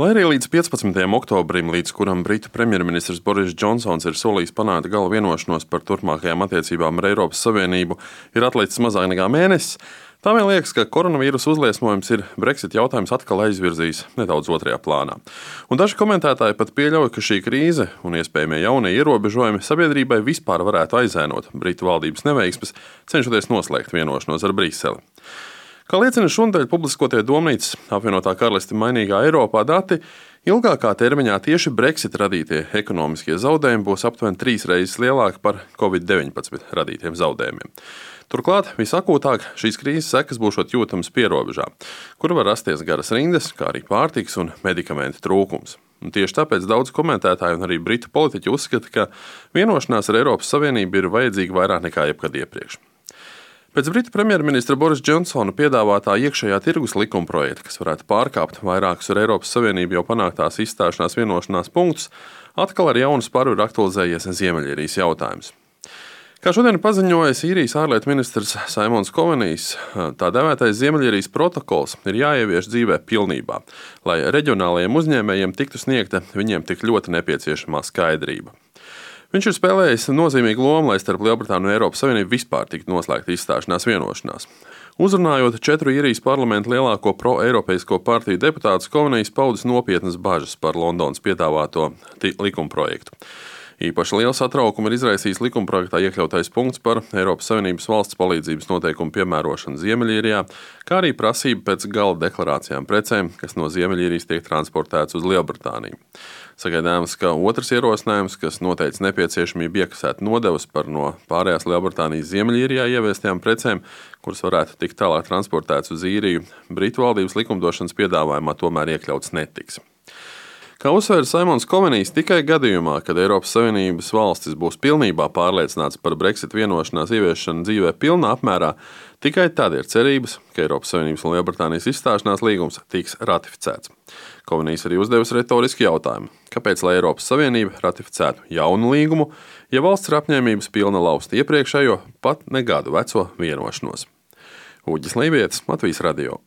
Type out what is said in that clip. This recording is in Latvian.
Lai arī līdz 15. oktobrim, līdz kuram Britu premjerministrs Boris Džonsons ir solījis panākt gala vienošanos par turpmākajām attiecībām ar Eiropas Savienību, ir atlicis mazāk nekā mēnesis, tā vien liekas, ka koronavīrusa uzliesmojums ir Brexit jautājums atkal aizvirzījis nedaudz otrajā plānā. Un daži komentētāji pat pieļauj, ka šī krīze un iespējamie jaunie ierobežojumi sabiedrībai vispār varētu aizēnot Britu valdības neveiksmes, cenšoties noslēgt vienošanos ar Briseli. Kā liecina šonadēļ publiskotie Domnīcas apvienotā karaliste mainīgā Eiropā dati, ilgākā termiņā tieši Brexit radītie ekonomiskie zaudējumi būs aptuveni 3 reizes lielāki par Covid-19 radītiem zaudējumiem. Turklāt visakūtāk šīs krīzes sekas būšot jūtamas pierobežā, kur var rasties garas rindas, kā arī pārtikas un medikamentu trūkums. Un tieši tāpēc daudz komentētāju un arī britu politiķi uzskata, ka vienošanās ar Eiropas Savienību ir vajadzīga vairāk nekā jebkad iepriekš. Pēc Britu premjerministra Borisa Džonsona piedāvātā iekšējā tirgus likumprojekta, kas varētu pārkāpt vairākus ar Eiropas Savienību jau panāktās izstāšanās vienošanās punktus, atkal ar jaunu sparu ir aktualizējies Ziemeļīrijas jautājums. Kā šodien paziņoja īrijas ārlietu ministrs Simons Covenijs, tā dēvētais Ziemeļīrijas protokols ir jāievieš dzīvē pilnībā, lai reģionālajiem uzņēmējiem tiktu sniegta viņiem tik ļoti nepieciešamā skaidrība. Viņš ir spēlējis nozīmīgu lomu, lai starp Lielbritāniju un Eiropas Savienību vispār tiktu noslēgta izstāšanās vienošanās. Uzrunājot 4 īrijas parlamenta lielāko pro-eiropeisko partiju deputātus, Covenijs paudis nopietnas bažas par Londonas piedāvāto likumprojektu. Īpaši lielu satraukumu ir izraisījis likumprojektā iekļautais punkts par Eiropas Savienības valsts palīdzības noteikumu piemērošanu Ziemeļīrijā, kā arī prasība pēc gala deklarācijām precēm, kas no Ziemeļīrijas tiek transportētas uz Lielbritāniju. Sagaidāms, ka otrs ierosinājums, kas noteica nepieciešamību iekasēt nodevas par no pārējās Lielbritānijas Ziemeļīrijā ieviestajām precēm, kuras varētu tikt tālāk transportētas uz Īriju, Britu valdības likumdošanas piedāvājumā tomēr iekļauts netiks. Kā uzsvēra Simons Covenijs, tikai gadījumā, kad Eiropas Savienības valstis būs pilnībā pārliecināts par Brexit vienošanās ieviešanu dzīvē pilnā apmērā, tikai tad ir cerības, ka Eiropas Savienības un Lielbritānijas izstāšanās līgums tiks ratificēts. Covenijs arī uzdevis retorisku jautājumu, kāpēc lai Eiropas Savienība ratificētu jaunu līgumu, ja valsts ir apņēmības pilna laust iepriekšējo, pat ne gadu veco vienošanos. Uģis Lībietis, Latvijas radio.